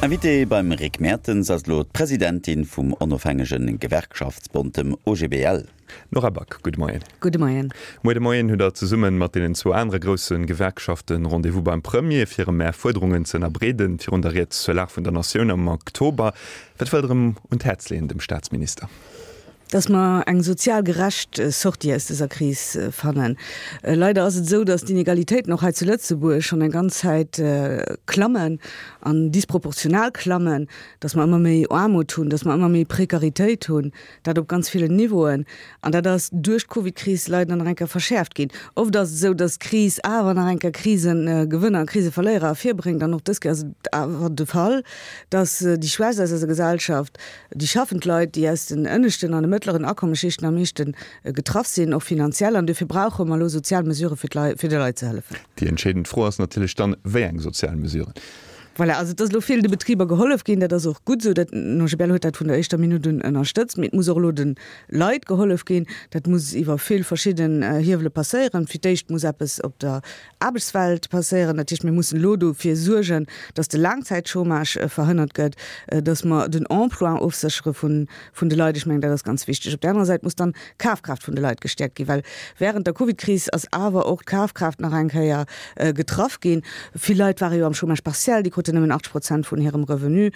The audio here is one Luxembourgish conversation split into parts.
Invitée beim Rick Mertens ass elo d'Presidentin vum onofhängege Gewerkschaftsbond, dem OGBL. Nora Back, gudde Moien. Gudde Moien. Muer de Moien hutt der zesumme mat deenen zwou anere grousse Gewerkschafte Rendez-vous beim Premier, fir em Är Fuerderungen ze ënnerbreeden, virun der Ried zur Lag vun der Natioun am Oktober. Wat wëllt der em un d'Häerz leeën, dem Staatsminister? Dass mer eng sozial gerecht Sortie aus dëser Kris fannen. Leider ass et esou, dass d'Inegalitéiten och hei zu Lëtzebuerg schonn eng ganz Zäit klammen an disproportional klammen, dass mer ëmmer méi Aarmut hunn, dass mer ëmmer méi Prekaritéit hunn, dat op ganz villen Niveauen. An dat ass duerch d'Covidkris leider nach eng Kéier verschäerft ginn. Oft ass et esou, dass d'Kris awer nach eng Kéier Krisegewënner a Kriseverléierer ervirbréngt. An och dës Kéier ass et awer de Fall, dass déi Schwächst aus eiser Gesellschaft, Déi schaffend Leit, déi aus den ënneschten an de mëttleren Akommesschichten am meeschte getraff sinn, och finanziell. An dofir brauche mer elo sozial Mesurë fir d'Leit, fir de Leit ze hëllefen. Déi entscheedend Fro ass natierlech dann, Wéi eng sozial Mesuren? Voilà, also et ass elo vill de Betriber gehollef ginn, dat ass och gutt esou. Dat, den OGBL huet dat vun der éischter Minutt un ënnerstëtzt. Mee et muss och elo de Leit gehollef ginn. Dat muss iwwer vill verschidden Hiewele passéieren. Fir d'éischt muss eppes op der Aarbechtswelt passéieren. Dat heescht, mir mussen elo dofir suergen, dass de Laangzäitchômage verhënnert gëtt, dass mer den Emploi ofséchere vun de Leit. Ech mengen, dat ass ganz wichteg. Op där anerer Säit muss dann d'Kafkraaft vun de Leit gestäerkt ginn, well während der Covidkris ass awer och d'Kafkraaft nach eng Kéier getraff ginn. Vill Leit ware jo am Chômage partiel, déi kruten nëmmen 80 Prozent vun hirem Revenu,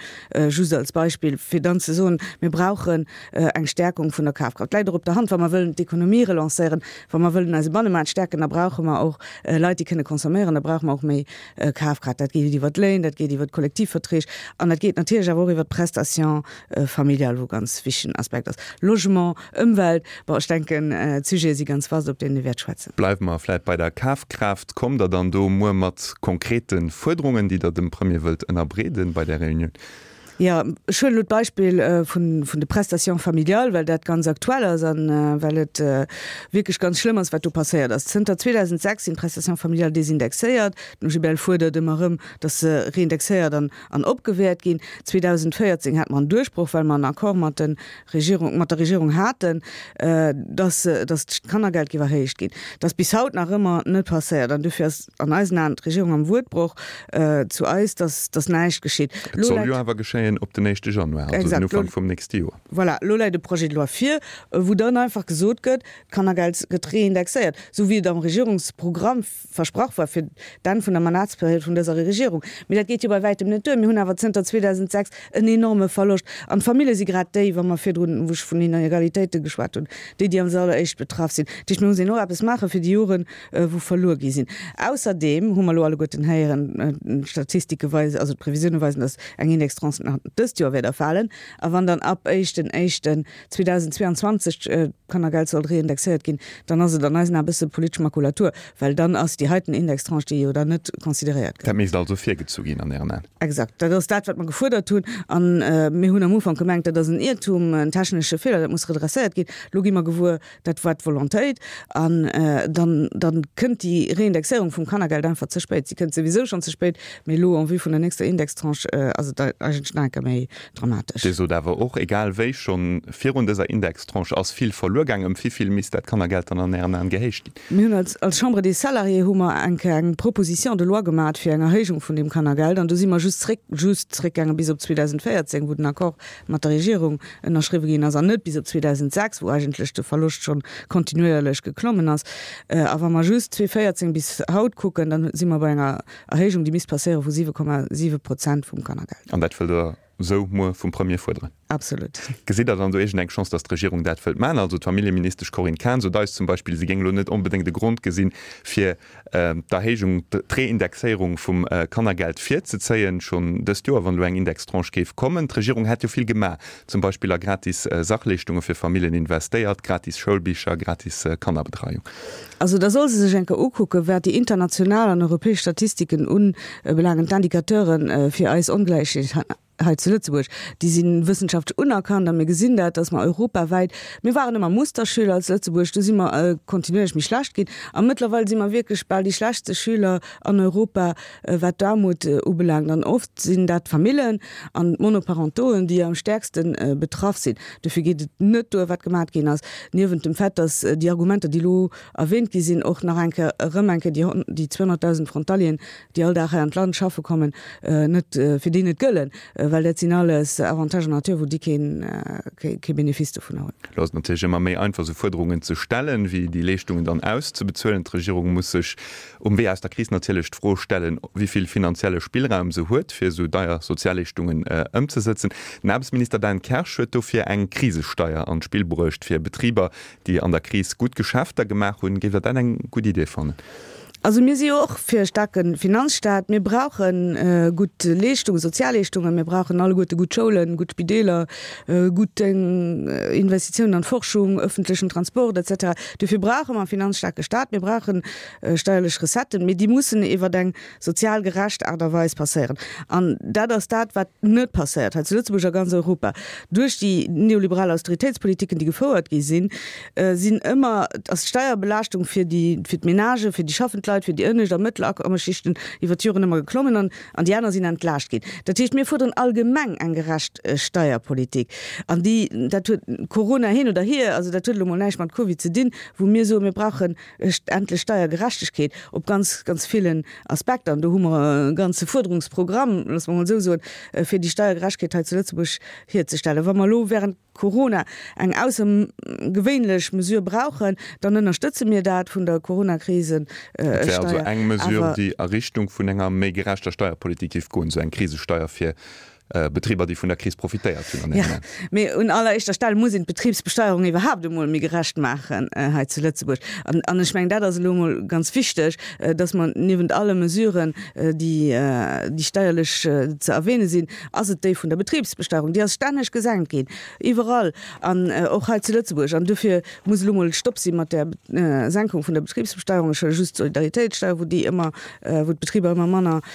just als Beispill, fir dann ze soen, mir brauchen eng Stärkung vun der Kafkraaft. Läit och op der Hand, wa mer wëllen d'Ekonomie relancéieren, wa mer wëllen eise Bannemaart stärken, da brauche mer och Leit, déi kënne consomméieren, da brauche mer och méi Kafkraaft. Dat geet iwwer d'Léin, dat geet iwwer d'Kollektivverträg an dat geet natierlech awer och iwwer d'Prestation familiale, wou e ganz wichtegen Aspekt ass. Logement, Ëmwelt, bon, ech denken, d'Sujete si ganz vast, op deenen ee wäert schwätzen. Bleiwe mer vläit bei der Kafkraaft. Kommt Der dann do muer mat konkrete Fuerderungen, déi Der dem Premier wëllt ënnerbreeden bei där Reunioun? Jo, ech huelen elo d'Beispill vun de Prestations familiales, well dat ganz aktuell ass a well et wierklech ganz schlëmm ass, wat do passéiert ass. Zënter 2006 sinn d'Prestations familiales desindexéiert. Den OGBL fuerdert ëmmer erëm, datt se reindexéiert an opgewäert ginn. 2014 hate mer en Duerchbroch, well mer en Accord mat de Regierung, mat der Regierung haten, datt d'Kannergeld géif erhéicht ginn. Dat ass bis haut nach ëmmer net passéiert an dofir ass an eisen Aen d'Regierung am Wuertbroch zu eis, datt, datt näischt geschitt. Et soll jo awer geschéien op den éischte Januar, also den Ufank vum nächste Joer. Voilà, elo läit e Projet de loi vir, wou dann einfach gesot gëtt, d'Kannergeld gëtt reindexéiert, esou wéi et am Regierungsprogramm versprach war fir d'Enn vun der Mandatsperiod vun dëser Regierung. Mee dat geet jo bei wäitem net duer. Mir hunn awer zënter 2006 en enorme Verloscht. An d'Famillje si grad déi, wa mer virdrun, wou ech vun Inegalitéite geschwat hunn, déi, déi als alleréischt betraff sinn. Dat heescht, mir mussen och eppes maache fir déi Joren, wou verluer gi sinn. Ausserdeem hu mer elo alleguerten héieren, d'Statistike weisen, also d'Previsioune weisen, datt eng Indextranche nach dëst Joer wäert erfalen. A wann dann ab éischten éischten 2022 d'Kannergeld sollt reindexéiert ginn, dann ass et an eisen Aen e bësse politesch Makulatur, well dann ass déi heiten Indextranche, déi jo dann net consideréiert gëtt. Dat misst also virgezu ginn an Ären Aen? Exakt, dat ass dat, wat mer gefuerdert hunn. A mir hunn am Ufank gemengt, dat ass en Iertum, en technesche Feeler, dat muss redresséiert ginn. Elo gi mer gewuer, Dat war d'Volontéit. An dann, dann kënnt déi Reindexéierung vum Kannergeld einfach ze spéit. Si kënnt souwisou schonn ze spéit, mee elo en vue vun der nächster Indextranche ass et eigentlech nach eng Kéier méi dramatesch. Dir sot awer och, egal wéi, schonn virun dëser Indextranche ass vill verluer gaangen. Ëm wivill misst dat Kannergeld dann an Ären Aen gehéicht ginn? Mir hunn als, als Chambre des Salariés hu mer eng Kéier eng Proposition de loi gemat fir eng Erhéijung vun deem Kannergeld. An do si mer just zréck, just zréckgaange bis op 2014, wou den Accord mat der Regierung ënnerschriwwe ginn ass, an net bis op 2006, wou eigentlech de Verloscht schonn kontinuéierlech geklommen ass. A wa mer just 2014 bis haut kucken, dann si mer bei enger Erhéijung, déi misst passéiere vu 7,7 Prozent vum Kannergeld. An dat wëllt Der esou muer vum Premier fuerderen? Absolut. Gesitt Der dann do iergend eng Chance, datt d'Regierung dat wëllt maachen? Also d'Familljeministesch Corinne Cahen sot eis zum Beispill, si géing elo net onbedéngt e Grond gesinn, fir d'Erhéijung, d'Reindexéierung vum Kannergeld virzezéien, schonn dëst Joer, wann elo eng Indextranche géif kommen. D'Regierung hätt jo vill gemaach, zum Beispill a gratis Sachleeschtunge fir Familljen investéiert, gratis Schoulbicher, gratis Kannerbetreiung. Also da soll se sech eng Kéier ukucken, wat déi international an europäesch Statistiken ubelaangen, d'Indicateuren, fir eis Ongläichheet. hei zu Lëtzebuerg. Déi si wëssenschaftlech unerkannt a mir gesinn dat, dass mer europawäit, mir waren ëmmer Musterschüler als Lëtzebuerg, du si mer kontinuierlech méi schlecht ginn a mëttlerweil si mer wierklech bal déi schlechtste Schüler an Europa, wat d'Aarmut ubelaangt. An oft sinn dat d'Famillen an d'Monoparentoen, déi am stäerkste betraff sinn. Dofir geet et net duer, wat gemat ginn ass, niewent dem Fait, dass déi Argumenter, déi elo erwähnt gi sinn, och nach eng Kéier, erëm eng Kéier déi 200.000 Frontalieren, déi all Dag hei an d'Land schaffe kommen, net, fir déi net gëllen, well dat sinn alles Avantages en nature, wou déi keen, kee Benefice dovunner hunn. Elo ass et natierlech ëmmer méi einfach, esou Fuerderungen ze stellen, wéi déi Leeschtungen dann auszebezuelen. D'Regierung muss sech um Wee aus der Kris natierlech d'Fro stellen, wéi vill finanzielle Spillraum se huet, fir esou deier Sozialleeschtungen ëmzesëtzen. Den Aarbechtsminister Dan Kersch huet dofir eng Krisesteier an d'Spill bruecht, fir Betriber, déi an der Kris gutt Geschäfter gemaach hunn. Géif Der dat eng gutt Idee fannen? Also mir si jo och fir e staarke Finanzstaat. Mir brauche gutt Leeschtungen, Sozialleeschtungen. Mir brauchen alleguerte gutt Schoulen, gutt Spideeler, gutt Investitiounen an d'Forschung, ëffentlechen Transport et cetera. Dofir brauche mer e finanzstaarke Staat. Mir brauche steierlech Recetten, mee déi mussen iwwer eng sozial gerecht Aart a Weis passéieren. An dat ass dat, wat net passéiert hei zu Lëtzebuerg a ganz Europa. Duerch déi neoliberal Austeritéitspolitiken, déi gefouert gi sinn, sinn ëmmer, ass d'Steierbelaaschtung fir déi, fir d'Menagen, fir déi schaffend Leit, fir déi ënnescht a mëttel Akommesschichten iwwer d'Joren ëmmer geklommen an, an déi aner sinn entlaascht ginn. Dat heescht, mir fuerderen allgemeng eng gerecht Steierpolitik. An déi, dat huet Corona hin oder hier, also dat huet elo mol näischt mat Covid ze dinn, wou mir soen, mir brauchen endlech Steiergerechtegkeet op ganz, ganz villen Aspekter. An do hu mer e ganze Fuerderungsprogramm, loosse mer emol esou soen, fir déi Steiergerechtegkeet hei zu Lëtzebuerg hierzestellen. Wa mer elo während Corona eng aussergewéinlech Mesure brauchen, dann ënnerstëtze mir dat vun der Coronakrisesteier. Et wär also eng Mesure, déi a Richtung vun enger méi gerechter Steierpolitik géif goen, esou eng Krisesteier fir Betriber, déi vun der Kris profitéiert hunn an engem. Jo, mee un alleréischter Stell muss een d'Betribsbesteierung iwwerhaapt emol méi gerecht maachen hei zu Lëtzebuerg. An, an ech mengen, dat ass elo emol ganz wichteg, dass mer niewent alle Mesuren, déi, déi steierlech ze erwähne sinn, ass et déi vun der Betribsbesteierung. Déi ass stänneg gesenkt ginn, iwwerall an och hei zu Lëtzebuerg. An dofir muss elo emol Stopp si mat där Senkung vun der Betribsbesteierung. Ech huele just d'Solidaritéitssteier, wou déi ëmmer, wou d'Betriber ëmmer manner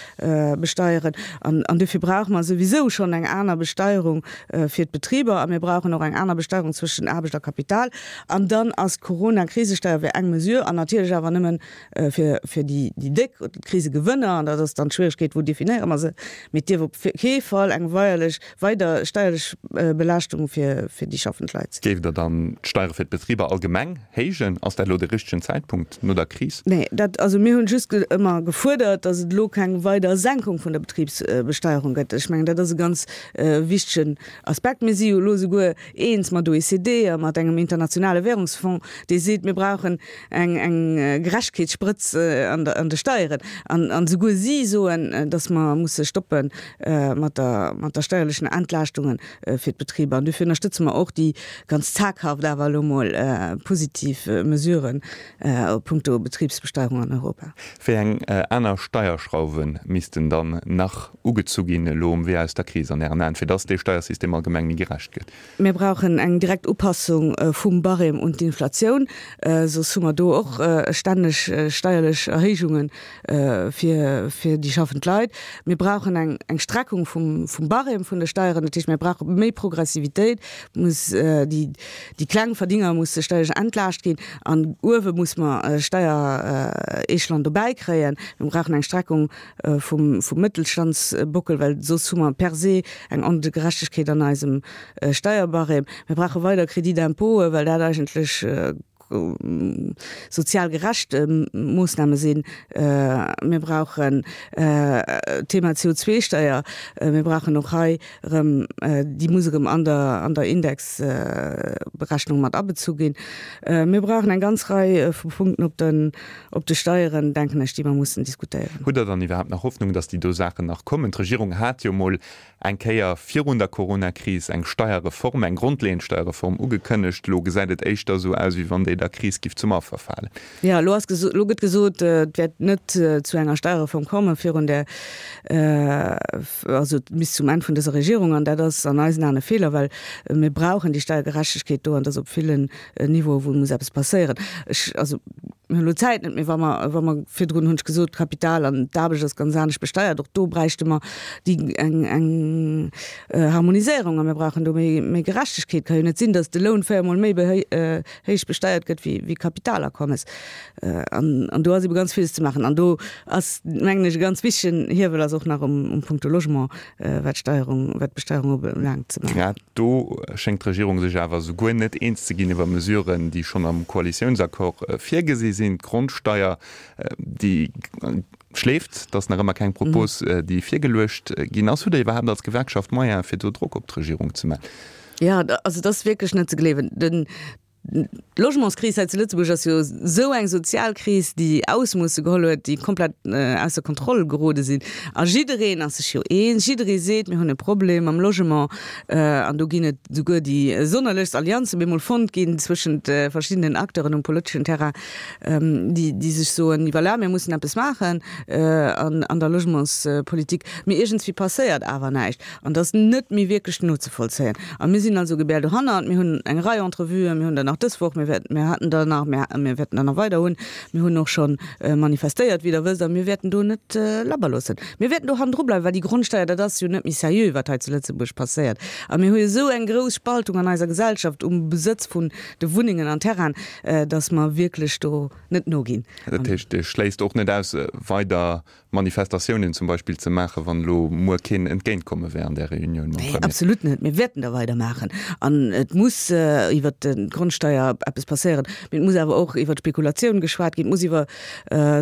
besteieren. An dofir brauche mer souwisou schonn eng aner Besteierung fir d'Betriber a mir brauchen och eng aner Besteierung zwëschen Aarbecht a Kapital. An dann ass d'Corona-Krisesteier wär eng Mesure an natierlech awer nëmmen fir fir déi déck oder d'Krisegewënner. An dat ass dann d'Schwieregkeet, wou definéiere mer se. Mee et dierf op kee Fall eng weierlech weider steierlech Belaaschtung fir fir déi schaffend Leit sinn. Géift Der dann d'Steiere fir d'Betriber allgemeng héijen? Ass dat elo de richtegen Zäitpunkt no der Kris? Nee, dat, also mir hunn just ëmmer gefuerdert, datt et elo keng weider Senkung vun der Betribsbesteierung gëtt. Ech mengen, dat ass e ganz wichtegen Aspekt. Mir si jo elo souguer eens mat OECD a mat engem internationale Währungsfonds, dee seet, mir brauchen eng eng Gerechtegkeetssprëtz an der an de Steieren. An an souguer si soen, datt mer musse stoppe mat der mat der steierlechen Entlaaschtungen fir d'Betriber. An dofir ënnerstëtze mer och déi ganz zaghaft awer elo mol positiv Mesuren a puncto Betribsbesteierung an Europa. Wéi eng aner Steierschrauwe missten dann nach ugezu ginn elo um Wee aus der Kris an Ären Aen, fir dass dee Steiersystem allgemeng méi gerecht gëtt? Mir brauchen eng direkt Upassung vum Barème un d'Inflatioun, soss hu mer do och stänneg steierlech Erhéijunge fir fir déi schaffend Leit. Mir brauchen eng eng Streckung vum vum Barème vun de Steieren, dat heescht mir brauche méi Progressivitéit, muss déi déi kleng Verdienger musse steierlech entlaascht ginn an uewe muss mer Steierechelon dobäi kréien. Mir brauchen eng Streckung vum vum Mëttelstandsbockel, well soss hu mer per se eng Ongerechtegkeet an eisem Steierbarème. Mir brauche weider Crédit d'impôten, well dat eigentlech sozial gerecht Moossname sinn. Mir brauchen d'Thema CO2-Steier. Mir brauchen och hei erëm, déi muss erëm an der an der Indexberechnung mat abezu ginn. Mir brauchen eng ganz Rei vu Punkten op den op de Steieren, denken ech, déi mer mussen diskutéieren. Hutt Der dann iwwerhaapt nach Hoffnung, datt déi do Saachen nach kommen? D'Regierung hat jo mol eng Kéier virun der Coronakris eng Steierreform, eng grondleeënd Steierreform ugekënnegt. Elo gesäit et éischter esou aus, wéi wann déi der Kris giff zum Affer falen. Jo, elo ass geso, elo gëtt gesot, et wäert net zu enger Steierreform komme virun der, also bis zum Enn vun dëser Regierung. An dat ass an eisen Aen e Feeler, well mir brauchen déi Steiergerechtegkeet do an et ass op villen Niveaue wou muss eppes passéieren. Ech, also. Mir hunn elo d'Zäit net méi, wa mer, wa mer, virdrun hunn ech gesot, d'Kapital an d'Aarbecht ass ganz anescht besteiert, och do bräichte mer déi eng, eng Harmoniséierung a mir brauchen do méi, méi Gerechtegkeet. Et ka jo net sinn, datt de Loun véiermol méi héich besteiert gëtt wéi, wéi Kapitalakommes. An, an do ass ebe ganz villes ze maachen. An do ass, mengen ech, e ganz wichtegen Hiewel ass och nach um, um Punkto Logement, wat d'Steierung, wat d'Besteierung ubelaangt, ze maachen. Grad do schéngt d'Regierung sech awer souguer net eens ze ginn iwwer Mesuren, déi schonn am Koalitiounsaccord virgesi sinn. D'Grondsteier, déi schleeft, et ass nach ëmmer keng Propos, déi virgeluecht ginn ass. Hutt Der iwwerhaapt als Gewerkschaft Moyene fir do Drock op d'Regierung ze maachen? Jo, also et ass wierklech net ze gleewen. Den D'Logementskris hei zu Lëtzebuerg ass jo esou eng sozial Kris, déi Ausmoosse geholl huet, déi komplett ausser Kontroll gerode sinn. A jiddereen ass sech jo eens, jidderee seet, mir hunn e Problem mam Logement. An do ginn et souguer déi sonnerlechst Allianze bemol fonnt ginn zwëschent verschiddenen Acteuren um politeschen Terrain, déi, déi sech soen, voilà, mir mussen eppes maachen an der Logementspolitik. Mee iergendswéi passéiert awer näischt. An dat ass net méi wierklech nozevollzéien. A mir sinn also gebär dohannert. Mir hunn eng Rei Entrevuen, mir hunn der nach dës Woch, mir wäerten, mir haten der nach, mir, mir wäerten der nach weider hunn. Mir hunn och scho manifestéiert, wéi Der wësst, a mir wäerten do net labber loossen. Mir wäerten do hannendru bleiwen, well déi Grondsteier, dat ass jo net méi seriö, wat hei zu Lëtzebuerg passéiert. A mir hu jo esou eng grouss Spaltung an eiser Gesellschaft um Besëtz vun de Wunnengen an Terrainen, dass mer wierklech do net noginn. Dat heescht, Dir schléisst och net aus, weider Manifestatiounen zum Beispill ze maachen, wann elo muer keen Entgéintkomme wär an där Reunioun mam Premier? Nee, absolut net. Mir wäerten da weidermaachen. An et muss iwwert d'Grondsteier eppes passéieren. Mee et muss awer och iwwert d'Spekulatioun geschwat ginn. Et muss iwwer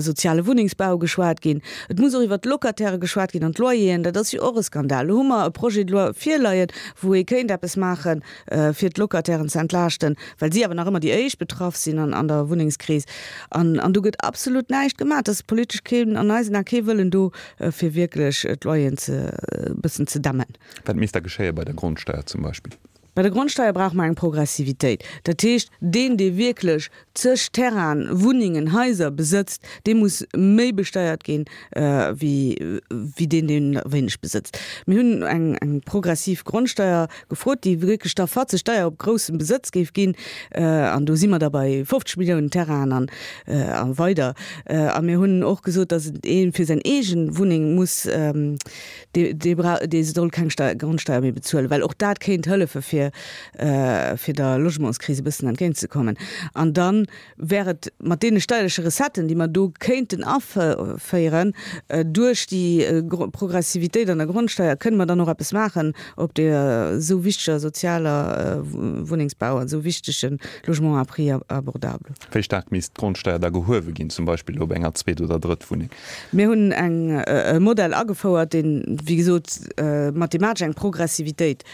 soziale Wunnengsbau geschwat ginn. Et muss och iwwert d'Locataire geschwat ginn an d'Loyeren. Dat ass jo och e Skandal. Elo hu mer e Projet de loi virleien, wou ee kéint eppes maachen, fir d'Locatairen ze entlaaschten, well si awer nach ëmmer déi éischt betraff sinn an der Wunnengskris. An do gëtt absolut näischt gemaach. Et ass politesch keen, an eisen Ae kee Wëllen do, fir wierklech d'Loyeren ze e bëssen ze dämmen. Wat misst da geschéie bei der Grondsteier zum Beispill? Bei der Grondsteier brauche mer eng Progressivitéit. Dat heescht, deen, dee wierklech zeg Terrainen, Wunnengen, Haiser besëtzt, dee muss méi besteiert ginn, wéi deen, deen wéineg besëtzt. Mir hunn eng progressiv Grondsteier gefrot, déi wierklech da fatzeg deier op groussem Besëtz géif ginn. An do si mer da bei 50 Milliounen Terrainen a weider. A mir hunn och gesot, datt ee fir seng eege Wunneng muss, dee brauch, dee soll keng Grondsteier méi bezuelen, well och dat kéint hëllefe fir der Logementskris e bëssen entgéintzekommen. An dann wär et mat deene steierleche Recetten, déi mer do kéinten aféieren, duerch déi Progressivitéit an der Grondsteier, kënne mer dann och eppes maachen op deer esou wichteger sozialer Wunnengsbau an esou wichtege Logement à prix abordable. Wéi staark misst d'Grondsteier da gehuewe ginn, zum Beispill op enger Zweet oder Drëttwunneng? Mir hunn eng e Modell agefouert, deen, wéi gesot, mathematesch eng Progressivitéit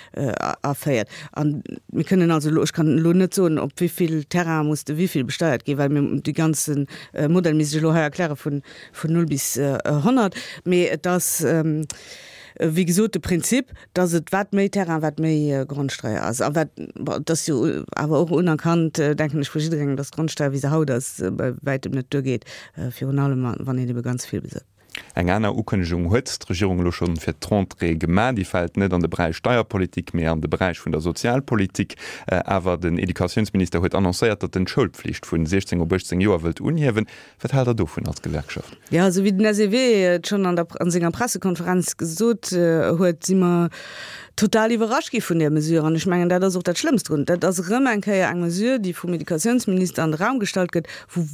aféiert. A mir kënnen also elo, ech kann elo net soen, op wéi vill Terrain muss de wéi vill besteiert ginn, well mir dee ganze Modell misst ech elo hei erkläre vun null bis 100, mee et ass, wéi gesot, de Prinzip, dass et wat méi Terrain, wat méi Grondsteier ass. A wat, bon, et ass jo awer och unerkannt, denken ech, vu jidderengem, dass d'Grondsteier, wéi se haut ass, bei wäitem net duergeet, virun allem wann een ebe ganz vill besëtzt. Eng aner Ukënnegung huet d'Regierung elo schonn fir d'Rentrée gemaach. Déi fält net an de Beräich Steierpolitik, mee an de Beräich vun der Sozialpolitik. Awer den Educatiounsminister huet annoncéiert, datt en d'Schoulpflicht vun 16 op 18 Joer wëllt unhiewen. Wat haalt Der dovun als Gewerkschaft? Jo, esou wéi den SEW et schonn an der an senger Pressekonferenz gesot huet, si mer total iwwerrascht gi vun där Mesure. An ech mengen, dat ass och dat Schlëmmst drun. Dat ass erëm eng Kéier eng Mesure, déi vum Educatiounsminister an de Raum gestallt gëtt, wou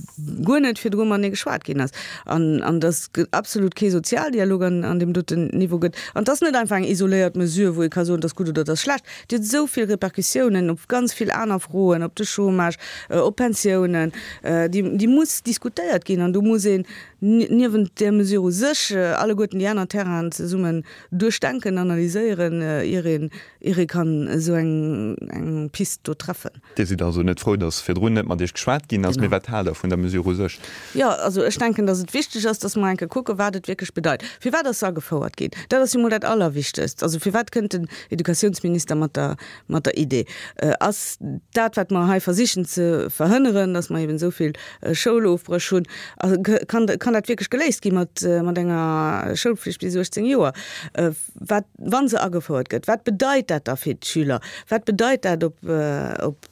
guer net virdru matenee geschwat ginn ass an an dass absolut kee Sozialdialog an an deem doten Niveau gëtt. An et ass net einfach eng isoléiert Mesure, wou ee ka soen, et ass gutt oder et ass schlecht. Déi huet esou vill Repercussiounen op ganz vill aner Froen, op de Chômage, op Pensiounen, déi déi muss diskutéiert ginn an do muss een niewent där Mesure u sech alleguerten déi aner Terrainen zesummen duerchdenken, analyséieren, ier een ier ee kann esou eng eng Pist do treffen. Dir sidd also net frou, datt virdrun net mat Iech geschwat ginn ass. Mee wat haalt Der vun der Mesure u sech? Jo, also ech denken, datt et wichteg ass, datt mer eng Kéier kucken, wat et wierklech bedeit. Firwat ass se agefouert ginn? Dat ass jo mol dat Allerwichtegst. Also firwat kënnt den Educatiounsminister mat der, mat der Idee? Ass dat, wat mer hei versichen ze verhënneren, datt mer eben esou vill Schoulofbréch hunn, kann, kann. Kann dat wierklech geléist gi mat enger Schoulflicht bis 18 Joer? Wat, wa se agefouert gëtt, wat bedeit dat da fir d'Schüler? Wat bedeit dat op,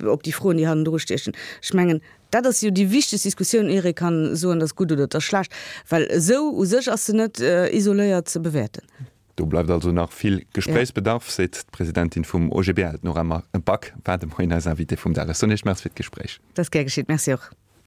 op déi Froen, déi hannendru stiechen? Ech mengen, dat ass jo déi wichtegst Diskussioun, ier ee kann soen, dat ass gutt oder dat ass schlecht, well esou u sech ass se net isoléiert ze bewäerten. Do bleift also nach vill Gespréichsbedarf, seet d'Presidentin vum OGBL, d'Nora Back, war de Moien eis Invitée vum Dag. Ech soen Iech Merci fir d'Gespréich. Dat ass gär geschitt. Merci och.